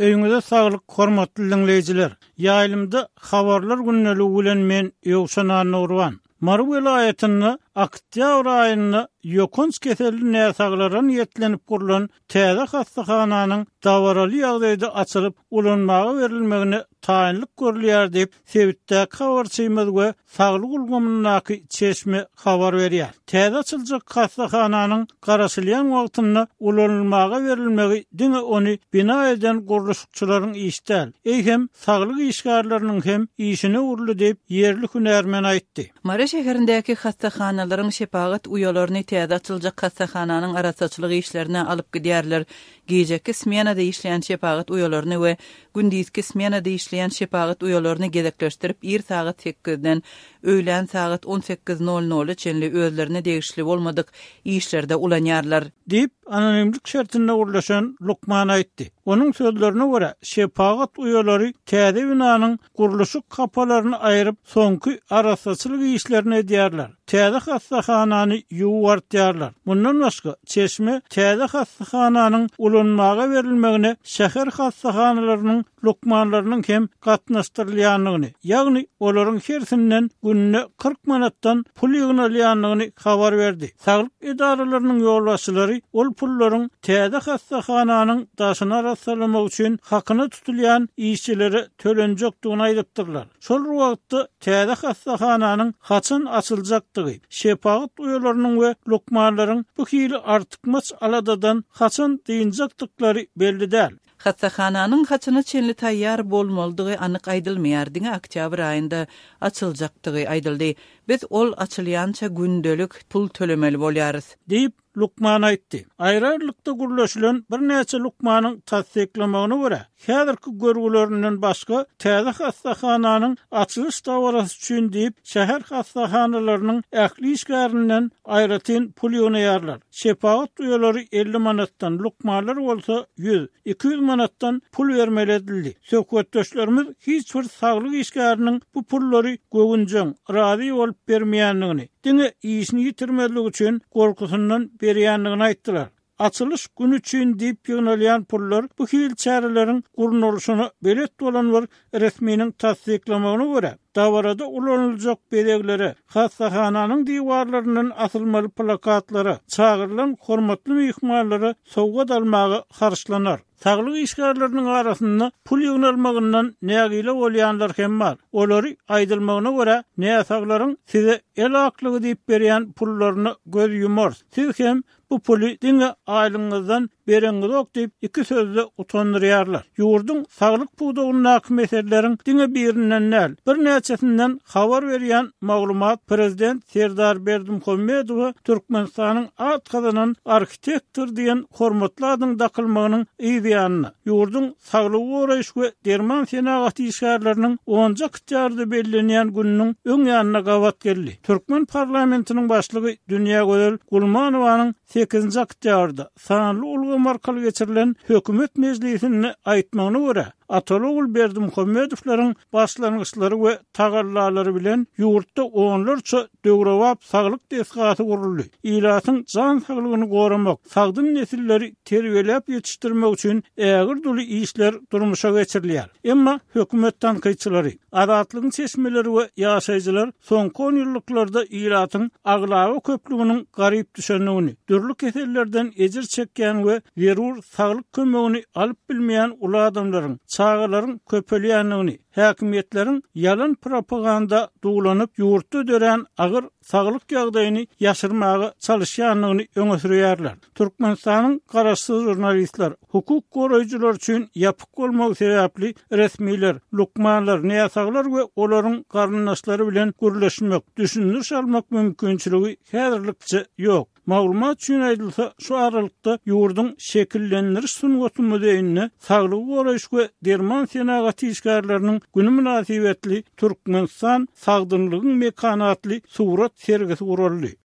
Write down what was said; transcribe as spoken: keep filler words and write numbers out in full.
Öýüňize saglyk, hormatly diňleýjiler. Ýaýlymda habarlar gündeligi bilen men Ýowşan Annagurban. Mary welaýatynda oktýabr aýynda ýokanç keselli näsaglara niýetlenip gurlan täze hassahananyň dabaraly ýagdaýda açylyp ulanmaga berilmegine taýynlyk görülýär diýip, sebitdäki habarçymyz we saglyk ulgamyndaky çeşme habar berýär. Täze açyljak hassahananyň garaşylýan wagtynda ulanylmaga berilmegi diňe ony bina eden gurluşykçylaryň işi däl, eýsem saglyk işgärleriniň hem işine uruldy diýip, ýerli hünärmen aýtdy. Mary şäherindäki hassahanalaryň şepagat uýalaryny täze açyljak hassahananyň arassaçylyk işlerine alyp gidýärler. Gijeki smenada işleýän şepagat uýalaryny we gündizki smenada işleýän şepagat uýalaryny gezekleşdirip ir sagat sekizden öýlän sagat on sekiz nol nola çenli özlerine degişli bolmadyk işlerde ulanýarlar. Diýip, anonimlik şertinde gurlaşan lukman aýtdy. Onuň sözlerine görä, şepagat uýalary täze binanyň gurluşyk kapalaryny aýryp, soňky arassaçylyk işlerini edýärler. Täze hassahanany ýuwartýarlar. Mundan başga, çeşme täze hassahananyň ulanmaga berilmegine şäher hassahanalarynyň lukmanlarynyň hem gatnaşdyrylýandygyny, ýagny olaryň hersinden günde kyrk manatdan pul ýygnalýandygyny habar berdi. Saglyk edaralarynyň ýolbaşçylary ol pullaryň täze hassahananyň daşyny arassalamak üçin hakyna tutulýan işçilere tölenjekdigini aýdypdyrlar. Şol wagtda täze hassahananyň haçan açyljakdygy, şepagat uýalarynyň we lukmanlaryň bu hili artykmaç aladadan haçan dynjakdyklary belli däl. Hassahananyň haçana çenli taýýar bolmalydygy anyk aýdylmaýar, diňe oktýabr aýynda açyljakdygy aýdyldy. Biz ol açylýança gündelik pul tölemeli bolýarys. Diýip, lukman aýtdy. Aýry-aýrylykda gurlaşylan birnäçe lukmanyň tassyklamagyna görä, häzirki görgülerinden başga täze hassahananyň açylyş dabarasy üçin diýip, şäher hassahanalarynyň ähli işgärinden aýratyn pul ýygnaýarlar. Şepagat uýalary elli manatdan, lukmanlar bolsa ýüz, iki ýüz manatdan pul bermeli edildi. Söhbetdeşlerimiz hiç bir saglyk işgäriniň bu pullary göwünjeň, razy bolup bermeýändigini, diňe işini ýitirmezlik üçin gorkusundan berýändigini aýtdylar. Açylyş günü üçin diýip ýygnalýan pullar bu hil çäreleriň gurnalyşyna belet bolan bir resminiň tassyklamagyna görä, dabarada ulanyljak bezeglere, hassahananyň diwarlaryndan asylmaly plakatlara, çagyrylan hormatly myhmanlara sowgat almaga harçlanar. Saglyk işgärleriniň arasynda pul ýygnalmagyndan nägile bolýanlar hem bar. Olary aýdylmagyna görä, näsaglaryň size el aklygy diýip berýän pullaryna göz ýumar. Siz hem bu puly diňe aýlygyňyzdan bereňiz ok diýip iki sözde utandyrýarlar. Ýurduň saglyk pudagyndaky meseleleriň diňe birinden däl, birnäçesinden habar berýän maglumat Prezident Serdar Berdimuhamedowa Türkmenistanyň at gazanan arhitektor diýen hormatly adyň dakylmagynyň yz ýanyna, ýurduň saglygy goraýyş we derman senagaty işgärleriniň onunjy oktýabrda bellenýän gününiň öň ýanyna gabat geldi. Türkmen parlamentiniň başlygy Dünýägözel Gulmanowanyň sekizinji oktýabrda sanly ulgam arkaly geçirilen hökümet mejlisinde aýtmagyna görä, Ataly Berdimuhamedowlaryň başlangyçlary we tagallalary bilen ýurtda onlarça döwrebap saglyk desgasy guruldy. Ilatyň jan saglygyny goramak, sagdyn nesilleri terbiýeläp ýetişdirmek üçin ägir duli işler durmuşa geçirilýär. Emma hökümet tankytçylary, Azatlygyň çeşmeleri we ýaşaýjylar soňky on ýyllyklarda ilatyň aglaba köplüginiň garyp düşendigini, dürli kesellerden ejir çekýän we zerur saglyk kömegini alyp bilmeýän uly adamlaryň, çagalaryň köpelýändigini, häkimiýetleriň ýalan propaganda duwlanyp ýurtda dörän agyr saglyk ýagdaýyny ýaşyrmaga çalyşýandygyny öňe sürýärler. Türkmenistanyň garaşsyz jurnalistler, hukuk goraýjylar üçin ýapyk bolmagy sebäpli resmiler, lukmanlar, näsaglar we olaryň garyndaşlary bilen gürleşmek, düşündiriş almak mümkinçiligi häzirlikçe ýok. Maglumat üçin aýdylsa, şu aralykda ýurduň şekillendiriş sungaty muzeýinde saglygy goraýyş we derman senagaty işgärleriniň günü mynasybetli Türkmenistan sagdynlygyň mekany atly surat sergisi guraldy.